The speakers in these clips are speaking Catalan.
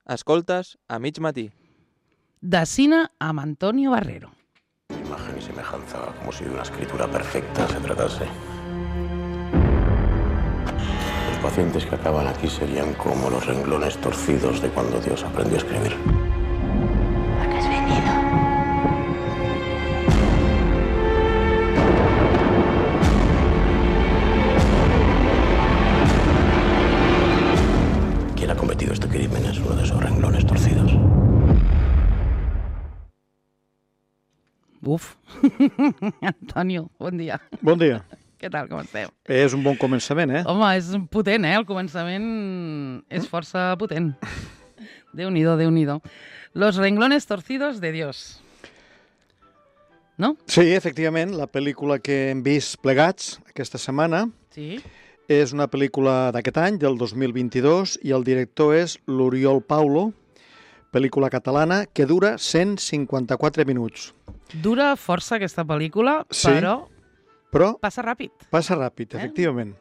Escoltes a mig matí. De cine amb Antonio Barrero. Imagen y semejanza, como si de una escritura perfecta se tratase. Los pacientes que acaban aquí serían como los renglones torcidos de cuando Dios aprendió a escribir. ¿Por qué has venido? ¿Quién ha cometido este crimen? Es uno de esos renglones torcidos. Uf. Antonio, bon dia. Bon dia. Què tal, com esteu? És un bon començament, eh? Home, és potent, eh? El començament és força potent. Déu-n'hi-do, Déu-n'hi-do. Los renglones torcidos de Dios. No? Sí, efectivament, la pel·lícula que hem vist plegats aquesta setmana Sí. és una pel·lícula d'aquest any, del 2022, i el director és l'Oriol Paulo, pel·lícula catalana que dura 154 minuts. Dura força aquesta pel·lícula, Sí. però Però passa ràpid. passa ràpid, efectivament.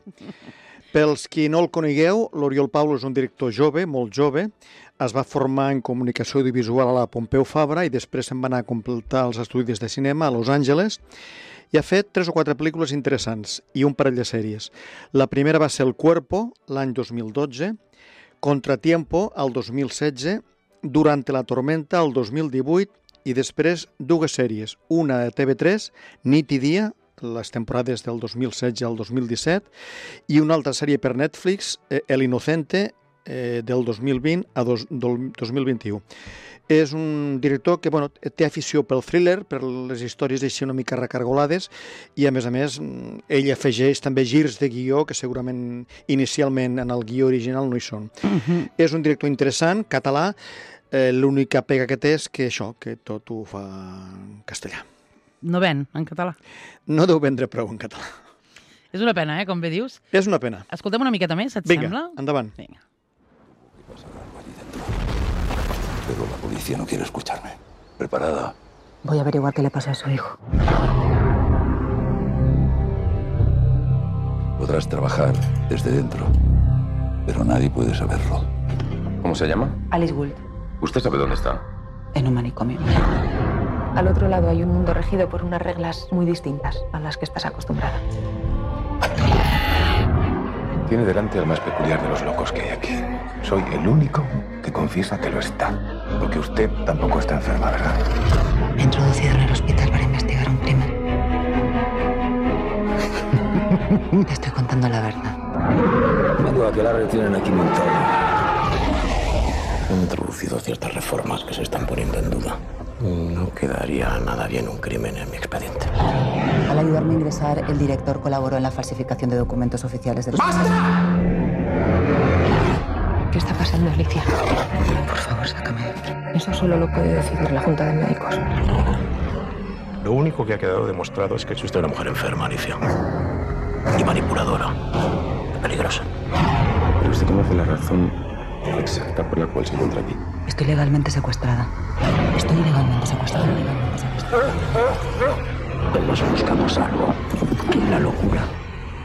Pels qui no el conegueu, l'Oriol Paulo és un director jove, molt jove. Es va formar en comunicació audiovisual a la Pompeu Fabra i després se'n va anar a completar els estudis de cinema a Los Angeles i ha fet 3 o 4 pel·lícules interessants i un parell de sèries. La primera va ser El Cuerpo, l'any 2012, Contratiempo, el 2016, Durante la tormenta, el 2018, i després 2 sèries, una de TV3, Nit i dia, les temporades del 2016 al 2017, i una altra sèrie per Netflix, El Inocente, del 2020 a 2021. És un director que té afició pel thriller, per les històries així una mica recargolades, i a més, ell afegeix també girs de guió que segurament inicialment en el guió original no hi són. És un director interessant, català. L'única pega que té és que que tot ho fa en castellà. No ven en català. No deu vendre prou en català. És una pena, com bé dius. És una pena. Escoltem una miqueta més, et Vinga, sembla? endavant. Vinga. Pero la policía no quiere escucharme. ¿Preparada? Voy a averiguar qué le pasa a su hijo. Podrás trabajar desde dentro, pero nadie puede saberlo. ¿Cómo se llama? Alice Gould, ¿Usted sabe dónde está? en un manicomio. Al otro lado hay un mundo regido por unas reglas muy distintas a las que estás acostumbrada. Tiene delante al más peculiar de los locos que hay aquí. Soy el único que confiesa que lo está. Porque usted tampoco está enferma, ¿verdad? Me he introducido en el hospital para investigar un crimen. Te estoy contando la verdad. Vengo a que la tienen aquí montada. Han introducido ciertas reformas que se están poniendo en duda. No quedaría nada bien un crimen en mi expediente. Al ayudarme a ingresar, el director colaboró en la falsificación de documentos oficiales del hospital. ¿Qué está pasando, Alicia? Por favor, sácame. Eso solo lo puede decidir la Junta de Médicos. Lo único que ha quedado demostrado es que es usted una mujer enferma, Alicia. Y manipuladora. Peligrosa. Pero usted conoce la razón exacta por la cual se encuentra aquí. Estoy legalmente secuestrada. Estoy legalmente secuestrada. Todos buscamos algo. Y la locura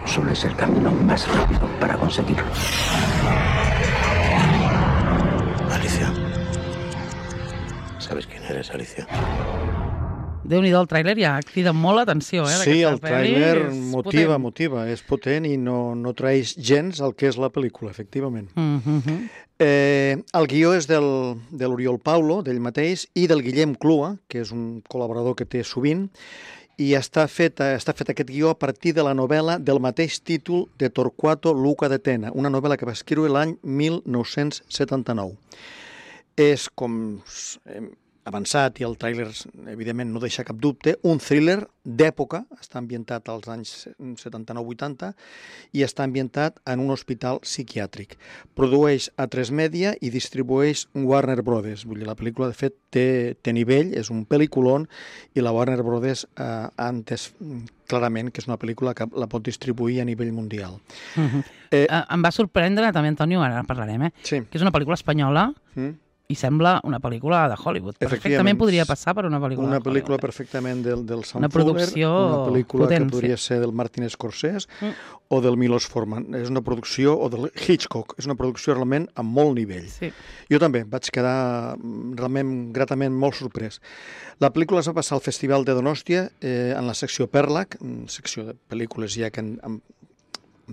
solo es el camino más rápido para conseguirlo. Alicia. ¿Sabes quién eres, Alicia? Déu-n'hi-do, el tràiler ja crida molt l'atenció, Sí, el tràiler És motiva, potent. és potent i no traeix gens el que és la pel·lícula, efectivament. Mhm. El guió és de l'Oriol Paulo, d'ell mateix, i del Guillem Clua, que és un col·laborador que té sovint, i està fet aquest guió a partir de la novel·la del mateix títol de Torquato Luca de Tena, una novel·la que va escriure l'any 1979. És, com hem avançat, i el tràiler evidentment no deixa cap dubte, un thriller d'època, està ambientat als anys 79-80 i està ambientat en un hospital psiquiàtric. Produeix A3 Media i distribueix Warner Brothers. Vull dir, la pel·lícula, de fet, té nivell, és un pel·lículon, i la Warner Brothers ha entès clarament que és una pel·lícula que la pot distribuir a nivell mundial. Em va sorprendre també, Antonio, ara en parlarem, Sí. que és una pel·lícula espanyola i sembla una pel·lícula de Hollywood. Efectivament. Perfectament podria passar per una pel·lícula Una de pel·lícula Hollywood. perfectament del Sam Una Fuller, producció una pel·lícula potent, que podria ser del Martin Scorsese o del Milos Forman. És una producció, o del Hitchcock, és una producció realment a molt nivell. Sí. Jo també vaig quedar realment gratament molt sorprès. La pel·lícula es va passar al Festival de Donòstia en la secció Perlac, secció de pel·lícules ja que han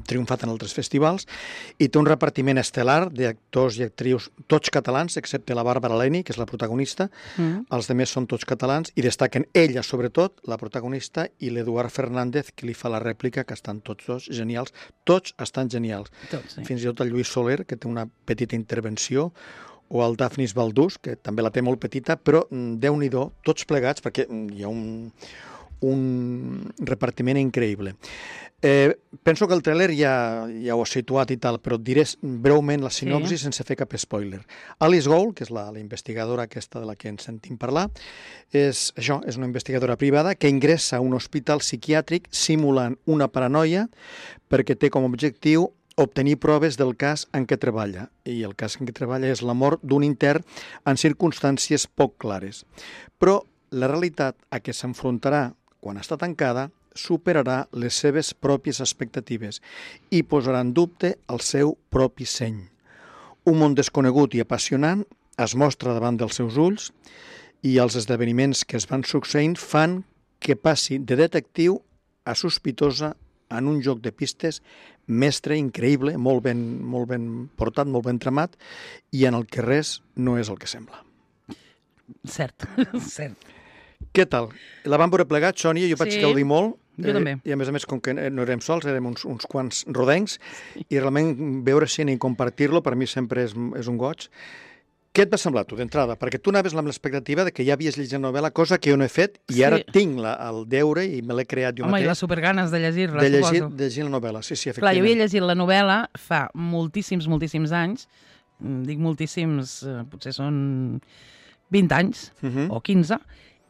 triomfat en altres festivals, i té un repartiment estel·lar d'actors i actrius tots catalans, excepte la Bàrbara Leni, que és la protagonista. Els altres són tots catalans, i destaquen ella, sobretot, la protagonista, i l'Eduard Fernández, que li fa la rèplica, que estan tots dos genials. Tots estan genials. Tots, sí. Fins i tot el Lluís Soler, que té una petita intervenció, o el Dafnis Baldús, que també la té molt petita, però Déu-n'hi-do, tots plegats, perquè hi ha un repartiment increïble. Penso que el tràiler ja ho ha situat i tal, però diré breument la sinopsi sense fer cap spoiler. Alice Gould, que és la investigadora aquesta de la que ens sentim parlar, és una investigadora privada que ingressa a un hospital psiquiàtric simulant una paranoia perquè té com a objectiu obtenir proves del cas en què treballa. I el cas en què treballa és la mort d'un intern en circumstàncies poc clares. Però la realitat a què s'enfrontarà quan està tancada superarà les seves pròpies expectatives i posarà en dubte el seu propi seny. Un món desconegut i apassionant es mostra davant dels seus ulls i els esdeveniments que es van succeint fan que passi de detectiu a sospitosa en un joc de pistes mestre, increïble, molt ben portat, molt ben tramat, i en el que res no és el que sembla. Cert, cert. Què tal? La vam veure plegat, Sònia, jo vaig gaudir molt. Jo també. I a més, com que no érem sols, érem uns quants rodencs, i realment veure cine i compartir-lo per mi sempre és un goig. Què et va semblar, tu, d'entrada? Perquè tu anaves amb l'expectativa de que ja havies llegit la novel·la, cosa que jo no he fet, i ara tinc el deure i me l'he creat jo mateix. Home, i les superganes de llegir-la, suposo. De llegir la novel·la, sí, efectivament. Clar, jo havia llegit la novel·la fa moltíssims anys, dic moltíssims, potser són 20 anys o 15,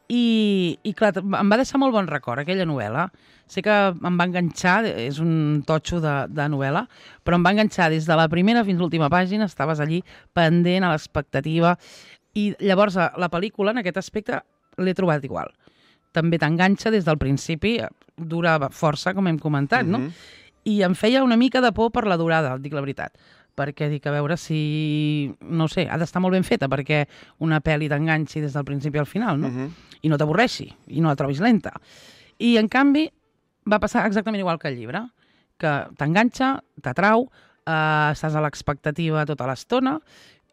i clar, em va deixar molt bon record aquella novel·la. Sé que em va enganxar, és un totxo de novel·la, però em va enganxar des de la primera fins a l'última pàgina, estaves allí pendent a l'expectativa, i llavors la pel·lícula en aquest aspecte l'he trobat igual. També t'enganxa des del principi, dura força, com hem comentat, no? I em feia una mica de por per la durada, dic la veritat, perquè dic, a veure si, no sé, ha d'estar molt ben feta perquè una pel·li t'enganxi des del principi al final, no? I no t'avorreixi, i no la trobis lenta. I, en canvi, va passar exactament igual que el llibre, que t'enganxa, t'atrau, estàs a l'expectativa tota l'estona,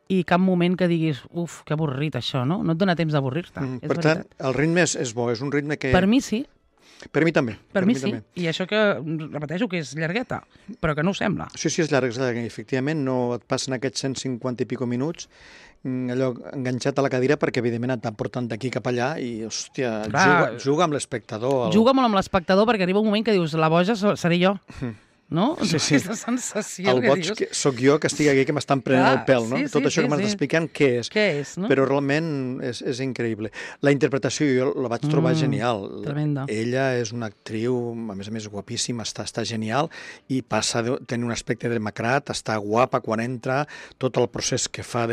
i cap moment que diguis, uf, que avorrit això, no? No et dona temps d'avorrir-te. Per tant, el ritme és bo, és un ritme que... Per mi sí. Per mi també. Per mi sí. I això que, repeteixo, que és llargueta, però que no ho sembla. Sí, és llarga. Efectivament, no et passen aquests 150 i pico minuts allò enganxat a la cadira perquè, evidentment, et van portant d'aquí cap allà i, hòstia, juga amb l'espectador. Juga molt amb l'espectador perquè arriba un moment que dius, la boja seré jo. No? Sí. Aquesta sensació el boig que soc jo que estic aquí que m'estan prenent el pèl, no? Tot això que m'estàs explicant, què és? Què és, no? Però realment és increïble. La interpretació jo la vaig trobar genial. Tremenda. Ella és una actriu, a més guapíssima, està genial, i passa de tenir un aspecte demacrat, està guapa quan entra, tot el procés que fa,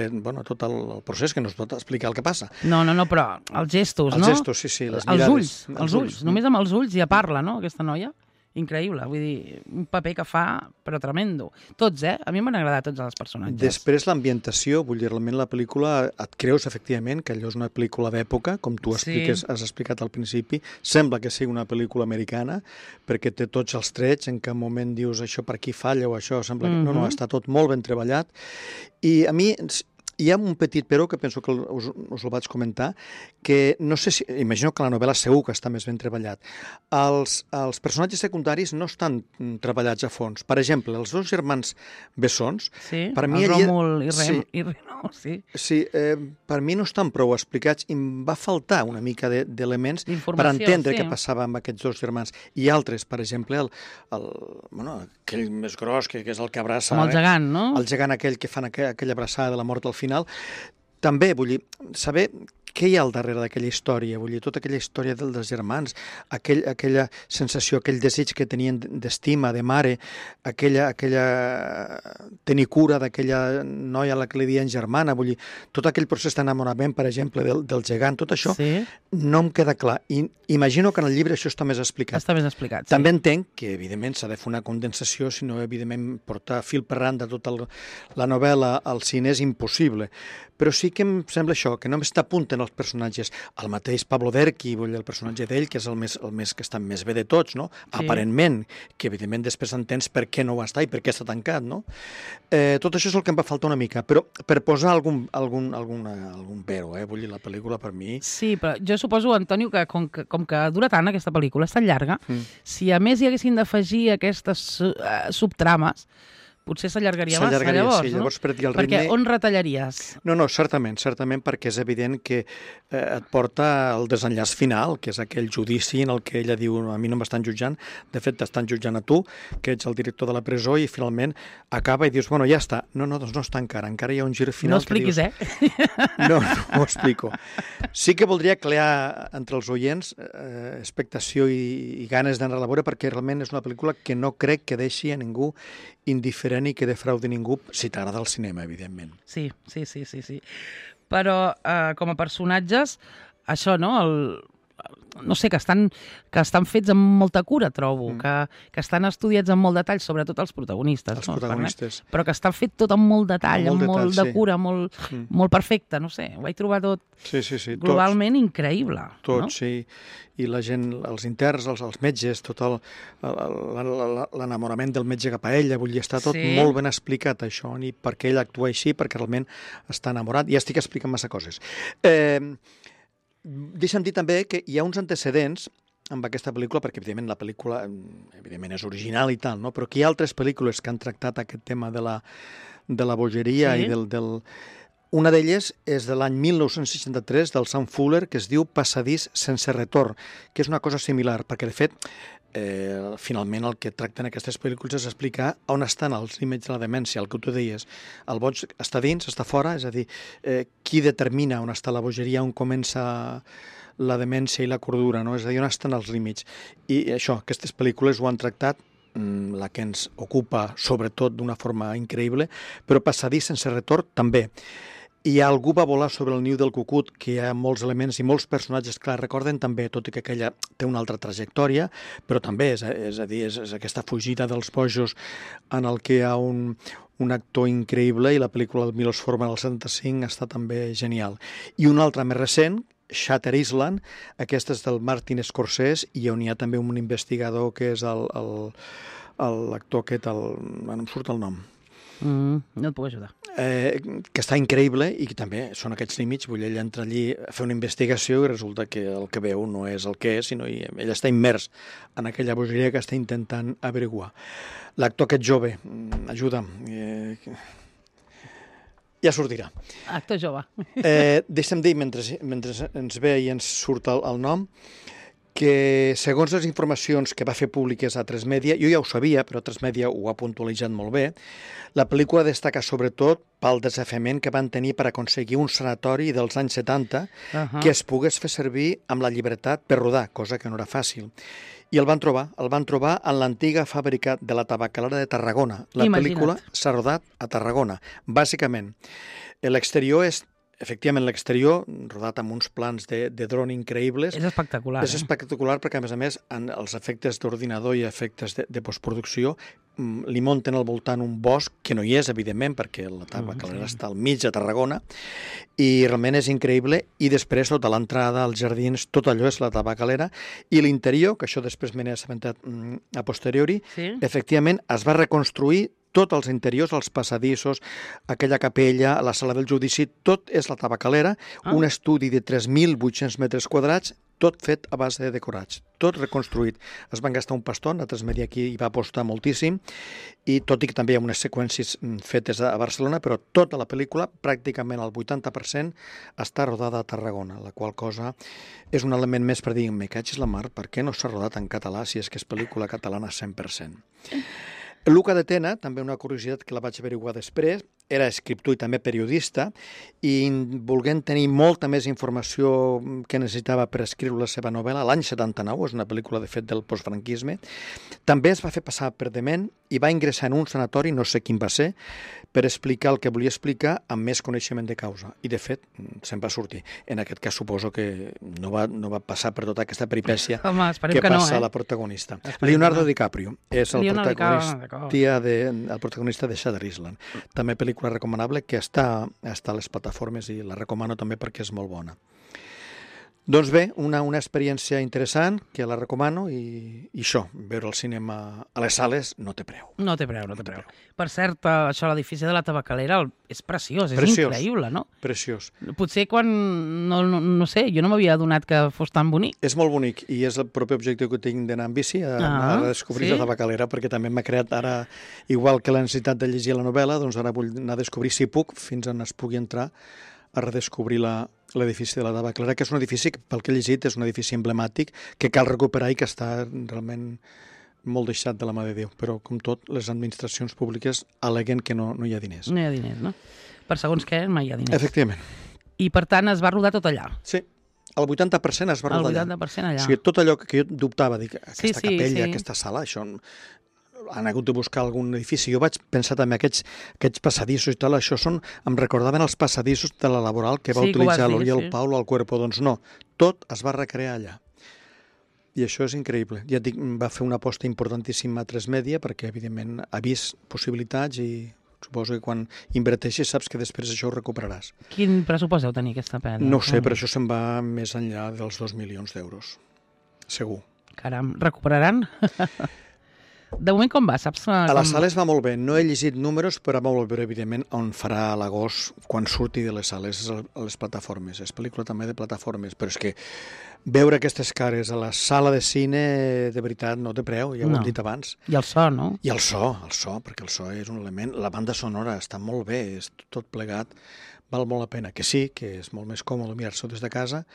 tot el procés que no es pot explicar el que passa. No, però els gestos, no? Els gestos, sí, les mirades. Els ulls, només amb els ulls ja parla, no?, aquesta noia. Increïble, vull dir, un paper que fa, però tremendo. Tots, a mi m'han agradat tots els personatges. Després l'ambientació, vull dir, realment la pel·lícula et creus, efectivament, que allò és una pel·lícula d'època, com tu has explicat al principi. Sembla que sigui una pel·lícula americana, perquè té tots els trets, en cap moment dius això per aquí falla o això, sembla que no, està tot molt ben treballat. I a mi... Hi ha un petit però que penso que us el vaig comentar, que no sé si... Imagino que la novel·la segur que està més ben treballat. Els personatges secundaris no estan treballats a fons. Per exemple, els dos germans bessons... Sí, el Ròmul i Reno, sí. Sí, per mi no estan prou explicats i em va faltar una mica d'elements per entendre què passava amb aquests dos germans. I altres, per exemple, aquell més gros, que és el que abraça... Com el gegant, no? El gegant aquell que fan aquella abraçada de la mort al final. També, vull dir, saber què hi ha al darrere d'aquella història? Vull dir, tota aquella història dels germans, aquella sensació, aquell desig que tenien d'estima, de mare, tenir cura d'aquella noia a la que li diuen germana, vull dir, tot aquell procés d'enamorament, per exemple, del gegant, tot això no em queda clar. I imagino que en el llibre això està més explicat. Està més explicat, sí. També entenc que, evidentment, s'ha de fer una condensació, si no, evidentment, portar fil per randa tota la novel·la al cine és impossible. Però sí que em sembla això, que només t'apunten els personatges. El mateix Pablo Derqui, el personatge d'ell, que és el més que està més bé de tots, no? Sí. Aparentment, que evidentment després entens per què no va estar i per què està tancat, no? Tot això és el que em va faltar una mica, però per posar algun pero, vull dir, la pel·lícula per mi... Sí, però jo suposo, Antonio, que com que dura tant aquesta pel·lícula, és tan llarga, si a més hi haguessin d'afegir aquestes subtrames, potser s'allargaria massa, llavors, sí, llavors no? El perquè ritme... on retallaries? No, certament, perquè és evident que et porta el desenllaç final, que és aquell judici en el que ella diu, a mi no m'estan jutjant, de fet t'estan jutjant a tu, que ets el director de la presó, i finalment acaba i dius, bueno, ja està. No, doncs no està encara hi ha un gir final. No expliquis, No ho explico. Sí que voldria crear entre els oients expectació i ganes d'anar a la veure, perquè realment és una pel·lícula que no crec que deixi a ningú indiferent i que defraudi ningú, si t'agrada el cinema, evidentment. Sí. Però com a personatges, això, no? No sé, que estan fets amb molta cura, trobo, que estan estudiats amb molt detall, sobretot els protagonistes. Però que estan fet tot amb molt detall, amb molt de cura, molt perfecte, no sé, ho vaig trobar tot globalment increïble. Tot, sí, i la gent, els interns, els metges, tot l'enamorament del metge cap a ella, vull dir, està tot molt ben explicat, això, i per què ell actua així, perquè realment està enamorat. Ja estic explicant massa coses. Deixa'm dir també que hi ha uns antecedents amb aquesta pel·lícula, perquè evidentment la pel·lícula és original i tal, no? Però que hi ha altres pel·lícules que han tractat aquest tema de la bogeria i del... Una d'elles és de l'any 1963, del Sam Fuller, que es diu Passadís sense retorn, que és una cosa similar, perquè de fet finalment el que tracten aquestes pel·lícules és explicar on estan els límits de la demència, el que tu deies. El boig està dins, està fora, és a dir, qui determina on està la bogeria, on comença la demència i la cordura, no? És a dir, on estan els límits. I això, aquestes pel·lícules ho han tractat, la que ens ocupa sobretot d'una forma increïble, però Passadís sense retorn també. I algú va volar sobre el niu del cucut, que hi ha molts elements i molts personatges que la recorden també, tot i que aquella té una altra trajectòria, però també és a dir, és aquesta fugida dels bojos en el que hi ha un actor increïble, i la pel·lícula del Milos Forman del 75 està també genial. I una altra més recent, Shutter Island, aquesta és del Martin Scorsese, i on hi ha també un investigador que és l'actor aquest, no em surt el nom. No et puc ajudar. Que està increïble i que també són aquests límits. Vull dir, ell entra allí a fer una investigació i resulta que el que veu no és el que és, sinó ell està immers en aquella bogeria que està intentant averiguar. L'actor aquest jove, ajuda'm, ja sortirà. Actor jove. Deixa'm dir, mentre ens ve i ens surt el nom, que segons les informacions que va fer públiques a Tres Media, jo ja ho sabia, però Tres Media ho ha puntualitzat molt bé, la pel·lícula destaca sobretot pel desafiament que van tenir per aconseguir un sanatori dels anys 70 que es pogués fer servir amb la llibertat per rodar, cosa que no era fàcil. I el van trobar en l'antiga fàbrica de la tabacalera de Tarragona. La pel·lícula s'ha rodat a Tarragona, bàsicament. L'exterior és efectivament, l'exterior, rodat amb uns plans de dron increïbles. És espectacular. És espectacular perquè, a més, els efectes d'ordinador i efectes de postproducció li munten al voltant un bosc, que no hi és, evidentment, perquè la tabacalera està al mig de Tarragona, i realment és increïble. I després, tota l'entrada, els jardins, tot allò és la tabacalera. I l'interior, que això després me n'he assabentat a posteriori, efectivament es va reconstruir tots els interiors, els passadissos, aquella capella, la sala del judici, tot és la tabacalera, un estudi de 3.800 metres quadrats, tot fet a base de decorats, tot reconstruït. Es van gastar un paston, a Tres Media aquí hi va apostar moltíssim, i tot i que també hi ha unes seqüències fetes a Barcelona, però tota la pel·lícula, pràcticament el 80%, està rodada a Tarragona, la qual cosa és un element més per dir, me catxis la mar, per què no s'ha rodat en català si és que és pel·lícula catalana 100%? Luca de Tena, també una curiositat que la vaig averiguar després, era escriptor i també periodista, i volent tenir molta més informació que necessitava per escriure la seva novel·la, l'any 79, és una pel·lícula de fet del postfranquisme, també es va fer passar per dement i va ingressar en un sanatori, no sé quin va ser, per explicar el que volia explicar amb més coneixement de causa. I, de fet, se'n va sortir. En aquest cas, suposo que no va passar per tota aquesta peripècia que passa a la protagonista. Leonardo DiCaprio és el protagonista de Shutter Island. També pel·lícula recomanable que està a les plataformes i la recomano també perquè és molt bona. Doncs bé, una experiència interessant que la recomano i això, veure el cinema a les sales no té preu. No té preu. Per cert, això, l'edifici de la Tabacalera és preciós, és increïble, no? Preciós. Potser quan, no sé, jo no m'havia adonat que fos tan bonic. És molt bonic i és el propi objectiu que tinc d'anar amb bici, a descobrir la Tabacalera, perquè també m'ha creat ara, igual que la necessitat de llegir la novel·la, doncs ara vull anar a descobrir, si puc, fins on es pugui entrar, a redescobrir l'edifici de la Tabacalera, que és un edifici que, pel que he llegit, és un edifici emblemàtic que cal recuperar i que està realment molt deixat de la mà de Déu. Però, com tot, les administracions públiques al·leguen que no hi ha diners. No hi ha diners, no? Per segons què, mai hi ha diners. Efectivament. I, per tant, es va rodar tot allà. Sí. El 80% es va rodar allà. El 80% allà. O sigui, tot allò que jo dubtava, dic, aquesta capella, aquesta sala, això... Han hagut de buscar algun edifici. Jo vaig pensar també aquests passadissos i tal, això em recordaven els passadissos de la Laboral que va utilitzar l'Oriol Paulo al Cuerpo. Doncs no, tot es va recrear allà. I això és increïble. Ja et dic, va fer una aposta importantíssima a 3Media perquè, evidentment, ha vist possibilitats i suposo que quan inverteixis saps que després això ho recuperaràs. Quin pressupost deu tenir aquesta pel·li? No ho sé, però això se'n va més enllà dels 2 milions d'euros. Segur. Caram, recuperaran? De moment com va, saps? A les sales va molt bé. No he llegit números, però va molt bé, evidentment, on farà a l'agost quan surti de les sales a les plataformes. És pel·lícula també de plataformes, però és que veure aquestes cares a la sala de cine, de veritat, no té preu, ja ho hem dit abans. I el so, no? I el so, perquè el so és un element... La banda sonora està molt bé, és tot plegat. Val molt la pena, que sí, que és molt més còmode mirar-s'ho des de casa,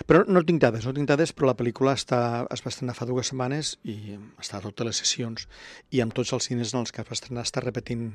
però no tinc dades, però la pel·lícula es va estrenar fa 2 setmanes i està a totes les sessions i amb tots els cines en els que es va estrenar està repetint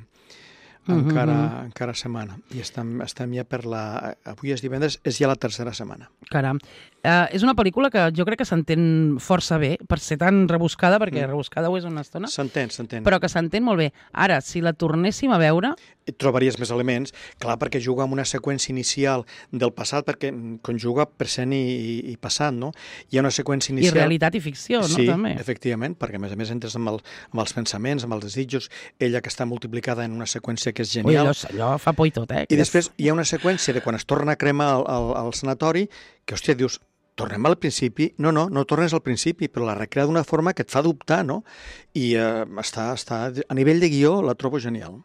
encara setmana. I estem ja avui és divendres, és ja la 3a setmana. Caram. És una pel·lícula que jo crec que s'entén força bé, per ser tan rebuscada, perquè rebuscada ho és una estona. S'entén. Però que s'entén molt bé. Ara, si la tornéssim a veure... Trobaries més elements, clar, perquè juga amb una seqüència inicial del passat, perquè conjuga present i passat, no? Hi ha una seqüència inicial... I realitat i ficció, no? Sí, també. Efectivament, perquè a més entres amb els pensaments, amb els desitjos, ella que està multiplicada en una seqüència que és genial. Ui, allò fa por i tot, eh? I després hi ha una seqüència de quan es torna a cremar al sanatori, que, hòstia, dius, tornem al principi? No tornes al principi, però la recrea d'una forma que et fa dubtar, no? I està a nivell de guió la trobo genial.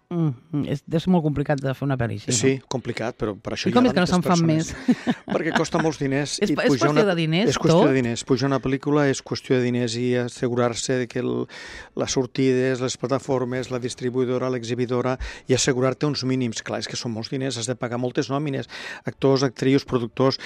És molt complicat de fer una pel·li així, no? Sí, complicat, però per això i com és que no se'n fan més? Perquè costa molts diners. És qüestió de diners, és qüestió de diners. Pujar una pel·lícula és qüestió de diners i assegurar-se que les sortides, les plataformes, la distribuïdora, l'exhibidora, i assegurar-te uns mínims. Clar, és que són molts diners, has de pagar moltes nòmines, actors, actrius, productors,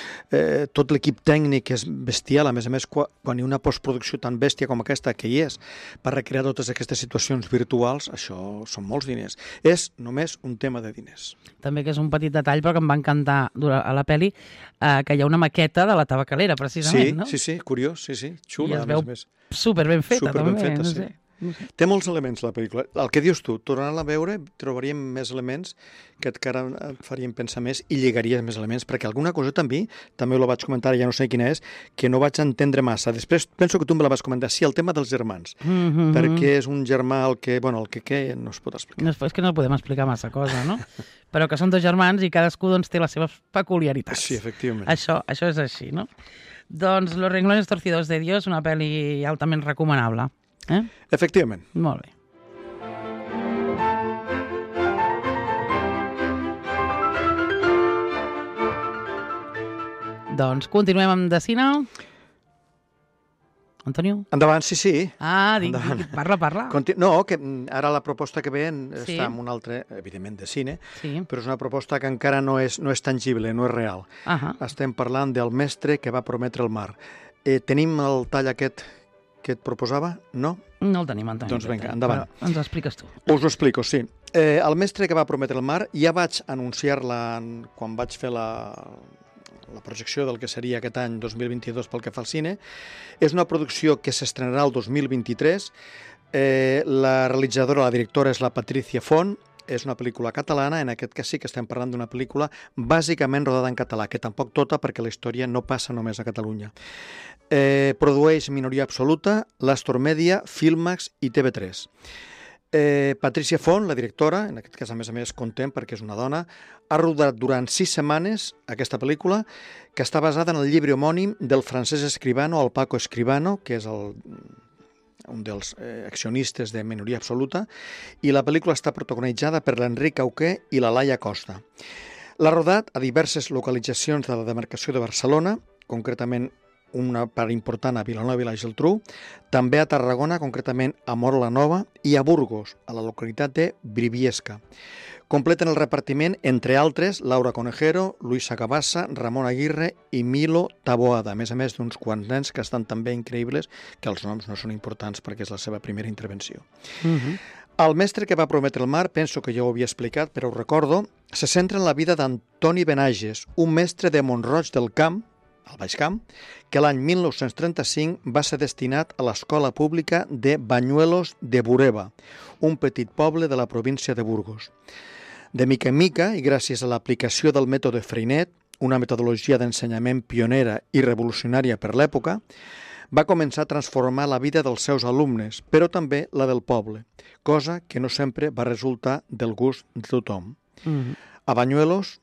tot l'equip tècnic és bestial. A més, quan hi ha una postproducció tan bèstia com aquesta que hi és, per recrear totes aquestes situacions virtuals, això són molts diners. És només un tema de diners. També que és un petit detall, però que em va encantar a la pel·li, que hi ha una maqueta de la Tabacalera, precisament, no? Sí, curiós, sí, xula. I es veu superben feta, també. No sé. Té molts elements, la pel·lícula. El que dius tu, tornant-la a veure, trobaríem més elements que encara et farien pensar més i lligaries més elements, perquè alguna cosa també ho vaig comentar, ja no sé quina és, que no vaig entendre massa. Després penso que tu me la vas comentar. Sí, el tema dels germans. Perquè és un germà el que no es pot explicar. És que no podem explicar massa cosa, no? Però que són 2 germans i cadascú té les seves peculiaritats. Sí, efectivament. Això és així, no? Doncs Los renglones torcidos de Dios, una pel·li altament recomanable. Efectivament. Molt bé. Doncs continuem amb de cine. Antonio? Endavant, sí. Parla. No, que ara la proposta que ve està en un altre, evidentment, de cine, però és una proposta que encara no és tangible, no és real. Estem parlant del mestre que va prometre el mar. Tenim el tall aquest que et proposava? No? No el tenim, Antoni. Doncs vinga, endavant. Però ens ho expliques tu. Us ho explico, sí. El mestre que va prometre el mar, ja vaig anunciar-la quan vaig fer la projecció del que seria aquest any 2022 pel que fa al cine. És una producció que s'estrenarà el 2023. La realitzadora, la directora, és la Patricia Font. És una pel·lícula catalana, en aquest cas sí que estem parlant d'una pel·lícula bàsicament rodada en català, que tampoc tota perquè la història no passa només a Catalunya. Produeix Minoria Absoluta, l'Astor Media, Filmax i TV3. Patricia Font, la directora, en aquest cas a més content perquè és una dona, ha rodat durant 6 setmanes aquesta pel·lícula, que està basada en el llibre homònim del Francesc Escribano, el Paco Escribano, que és un dels accionistes de Minoria Absoluta, i la pel·lícula està protagonitzada per l'Enric Auqué i la Laia Costa. L'ha rodat a diverses localitzacions de la demarcació de Barcelona, concretament una part important a Vilanova i la Geltrú, també a Tarragona, concretament a Móra la Nova, i a Burgos, a la localitat de Briviesca. Completen el repartiment, entre altres, Laura Conejero, Luisa Cabassa, Ramon Aguirre i Milo Taboada, a més d'uns quants nens que estan també increïbles, que els noms no són importants perquè és la seva primera intervenció. El mestre que va prometre el mar, penso que ja ho havia explicat, però ho recordo, se centra en la vida d'Antoni Benages, un mestre de Mont-roig del Camp, al Baix Camp, que l'any 1935 va ser destinat a l'escola pública de Banyuelos de Bureba, un petit poble de la província de Burgos. De mica en mica, i gràcies a l'aplicació del mètode Freinet, una metodologia d'ensenyament pionera i revolucionària per l'època, va començar a transformar la vida dels seus alumnes, però també la del poble, cosa que no sempre va resultar del gust de tothom. A Banyuelos,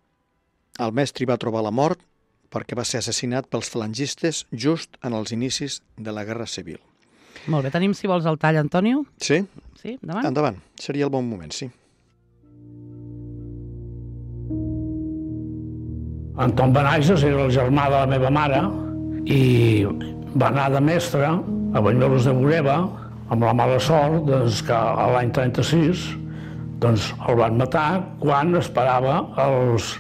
el mestre hi va trobar la mort perquè va ser assassinat pels falangistes just en els inicis de la Guerra Civil. Molt bé, tenim, si vols, el tall, Antonio. Sí? Sí, endavant. Endavant, seria el bon moment, sí. Anton Benages era el germà de la meva mare i va anar de mestre a Banyuelos de Bureba amb la mala sort que l'any 36 el van matar quan esperava els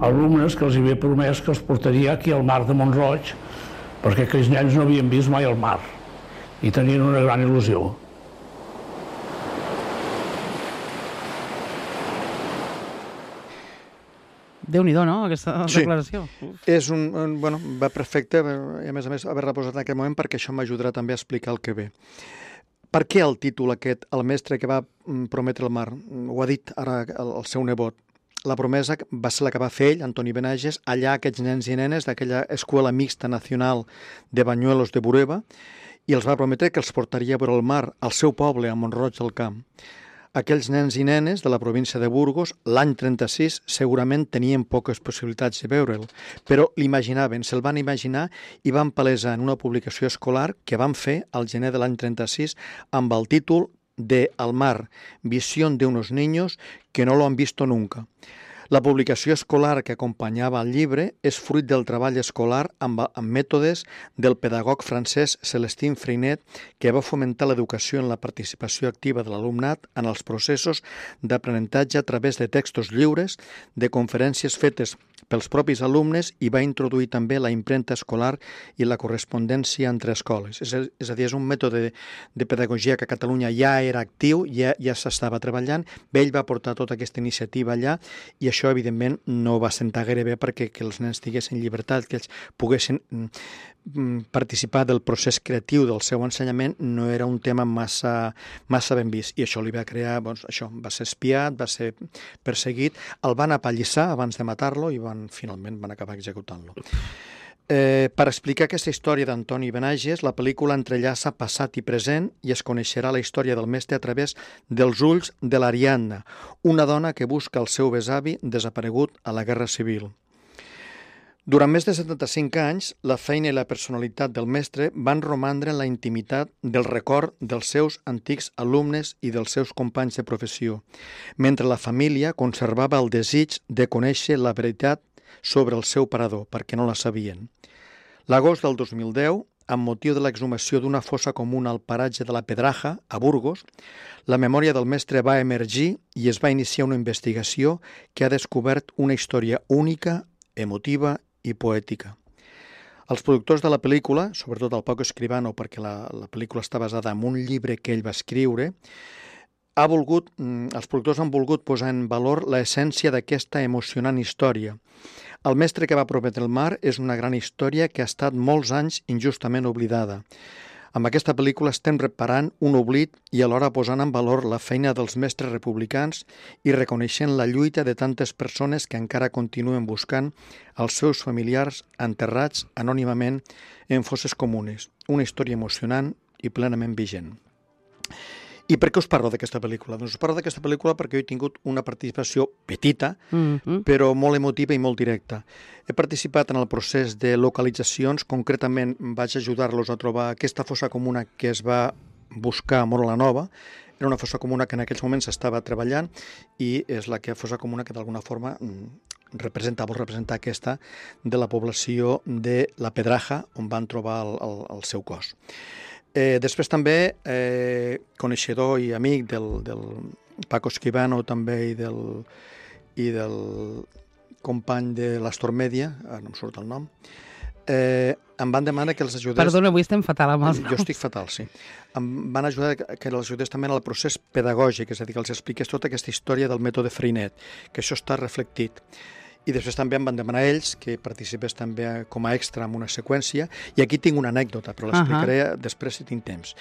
alumnes que els havia promès que els portaria aquí al mar de Mont-roig perquè aquells nens no havien vist mai el mar i tenien una gran il·lusió. Déu-n'hi-do, no?, aquesta declaració. És va perfecte, i a més haver-la posat en aquest moment perquè això m'ajudarà també a explicar el que ve. Per què el títol aquest, el mestre que va prometre el mar? Ho ha dit ara el seu nebot. La promesa va ser la que va fer ell, Antoni Benages, allà aquests nens i nenes d'aquella escola mixta nacional de Banyuelos de Bureba, i els va prometre que els portaria a veure el mar, al seu poble, a Mont-roig del Camp. Aquells nens i nenes de la província de Burgos, l'any 36, segurament tenien poques possibilitats de veure'l, però l'imaginaven, se'l van imaginar i van palesar en una publicació escolar que van fer al gener de l'any 36 amb el títol de El mar, visión de unos niños que no lo han visto nunca. La publicació escolar que acompanyava el llibre és fruit del treball escolar amb mètodes del pedagog francès Celestin Freinet, que va fomentar l'educació en la participació activa de l'alumnat en els processos d'aprenentatge a través de textos lliures, de conferències fetes pels propis alumnes i va introduir també la impremta escolar i la correspondència entre escoles. És a dir, és un mètode de pedagogia que a Catalunya ja era actiu, ja s'estava treballant, ell va portar tota aquesta iniciativa allà i això, evidentment, no va sentar gaire bé perquè que els nens tinguessin llibertat, que ells poguessin participar del procés creatiu del seu ensenyament no era un tema massa ben vist, i això li va crear, això, va ser espiat, va ser perseguit, el van apallissar abans de matar-lo i finalment van acabar executant-lo. Per explicar aquesta història d'Antoni Benages, la pel·lícula entrellaça passat i present i es coneixerà la història del mestre a través dels ulls de l'Ariadna, una dona que busca el seu besavi desaparegut a la Guerra Civil. Durant més de 75 anys, la feina i la personalitat del mestre van romandre en la intimitat del record dels seus antics alumnes i dels seus companys de professió, mentre la família conservava el desig de conèixer la veritat sobre el seu parador, perquè no la sabien. L'agost del 2010, amb motiu de l'exhumació d'una fossa comuna al paratge de la Pedraja, a Burgos, la memòria del mestre va emergir i es va iniciar una investigació que ha descobert una història única, emotiva i poètica. Els productors de la pel·lícula, sobretot el Paco Escribano, perquè la pel·lícula està basada en un llibre que ell va escriure, els productors han volgut posar en valor l'essència d'aquesta emocionant història. El mestre que va prometre el mar és una gran història que ha estat molts anys injustament oblidada. Amb aquesta pel·lícula estem reparant un oblit i alhora posant en valor la feina dels mestres republicans i reconeixent la lluita de tantes persones que encara continuen buscant els seus familiars enterrats anònimament en fosses comunes. Una història emocionant i plenament vigent. I per què us parlo d'aquesta pel·lícula? Doncs us parlo d'aquesta pel·lícula perquè jo he tingut una participació petita, però molt emotiva i molt directa. He participat en el procés de localitzacions, concretament vaig ajudar-los a trobar aquesta fossa comuna que es va buscar a Móra la Nova. Era una fossa comuna que en aquells moments s'estava treballant i és la fossa comuna que d'alguna forma vol representar aquesta de la població de la Pedraja, on van trobar el seu cos. Després també, coneixedor i amic del Paco Escribano també i del company de l'Astor Media, ara no em surt el nom, em van demanar que els ajudés... Perdona, avui estem fatal amb els noms. Jo estic fatal, sí. Em van ajudar que els ajudés també en el procés pedagògic, és a dir, que els expliqués tota aquesta història del mètode Freinet, que això està reflectit. I després també em van demanar ells que participés també com a extra en una seqüència, i aquí tinc una anècdota, però l'explicaré després si tinc temps.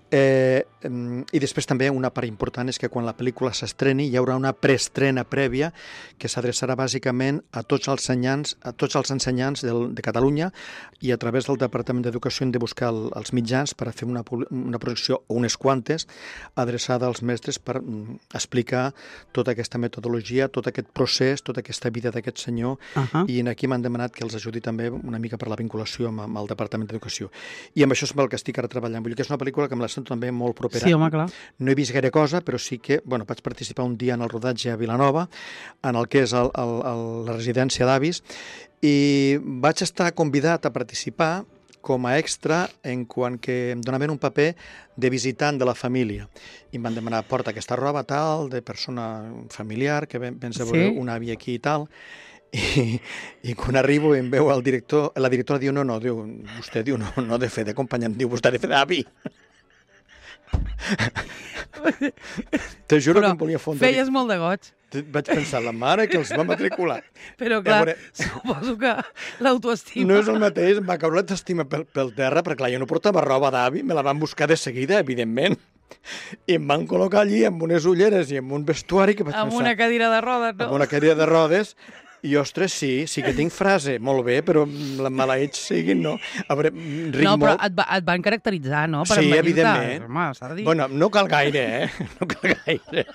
I després també una part important és que quan la pel·lícula s'estreni hi haurà una preestrena prèvia que s'adreçarà bàsicament a tots els ensenyants de Catalunya, i a través del Departament d'Educació hem de buscar els mitjans per a fer una projecció, o unes quantes, adreçada als mestres per explicar tota aquesta metodologia, tot aquest procés, tota aquesta vida d'aquest senyor, i aquí m'han demanat que els ajudi també una mica per la vinculació amb el Departament d'Educació. I amb això és el que estic ara treballant. Vull dir que és una pel·lícula que me la sento també molt propera. Sí, home, clar. No he vist gaire cosa, però sí que vaig participar un dia en el rodatge a Vilanova, en el que és la residència d'avis, i vaig estar convidat a participar com a extra en quant que em donaven un paper de visitant de la família. I em van demanar, porta aquesta roba tal, de persona familiar, que vens a veure un avi aquí i tal. I quan arribo em veu el director, la directora diu, no, diu, vostè diu, no ha de fer d'acompanyant, diu, vostè ha de fer d'avi. Te juro que em volia fondre. Feies molt de goig. Vaig pensar, la mare que els va matricular. Però clar, suposo que l'autoestima... No és el mateix, em va caure l'autoestima pel terra, perquè clar, jo no portava roba d'avi, me la van buscar de seguida, evidentment. I em van col·locar allí amb unes ulleres i amb un vestuari que vaig pensar... Amb una cadira de rodes, no? Amb una cadira de rodes. I, ostres, sí que tinc frase, molt bé, però la maleïts siguin, no? A veure, ric molt... molt... però et van caracteritzar, no? Per sí, evidentment. Home, s'ha de dir. Bueno, no cal gaire, No cal gaire.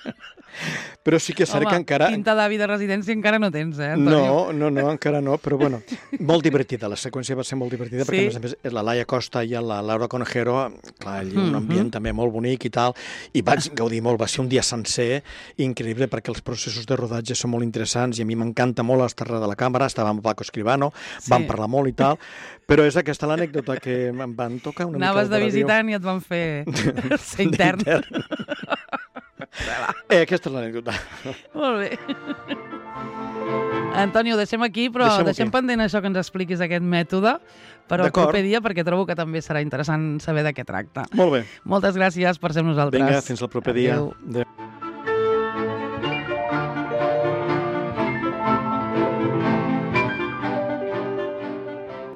Però sí que és cert que encara... Home, pinta d'avi de residència encara no tens, Antonio? No, encara no, però bueno, molt divertida, la seqüència va ser molt divertida, perquè a més la Laia Costa i la Laura Conejero, clar, allà un ambient també molt bonic i tal, i vaig gaudir molt, va ser un dia sencer, increïble, perquè els processos de rodatge són molt interessants, i a mi m'encanta molt estar darrere de la càmera, estava amb Paco Escribano, vam parlar molt i tal, però és aquesta l'anècdota que em van tocar una mica... Anaves de visitant i et van fer ser intern. Aquesta és l'anècdota. Molt bé. Antonio, ho deixem aquí, però deixem pendent això que ens expliquis aquest mètode per al proper dia, perquè trobo que també serà interessant saber de què tracta. Molt bé. Moltes gràcies per ser amb nosaltres. Vinga, fins al proper dia. Adéu.